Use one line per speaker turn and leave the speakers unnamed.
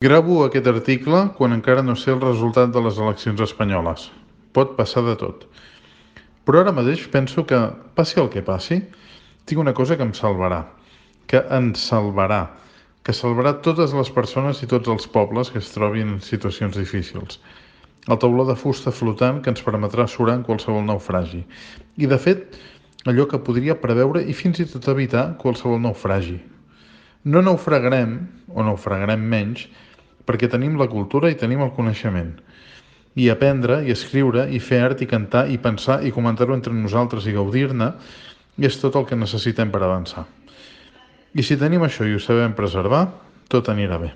Gravo aquest article quan encara no sé el resultat de les eleccions espanyoles. Pot passar de tot. Però ara mateix penso que, passi el que passi, tinc una cosa que em salvarà, que ens salvarà, que salvarà totes les persones i tots els pobles que es trobin en situacions difícils. El tauló de fusta flotant que ens permetrà surar en qualsevol naufragi. I, de fet, allò que podria preveure i fins i tot evitar qualsevol naufragi. No naufragarem, o naufragarem menys, perquè tenim la cultura i tenim el coneixement. I aprendre, i escriure, i fer art, i cantar, i pensar, i comentar-ho entre nosaltres i gaudir-ne, és tot el que necessitem per avançar. I si tenim això i ho sabem preservar, tot anirà bé.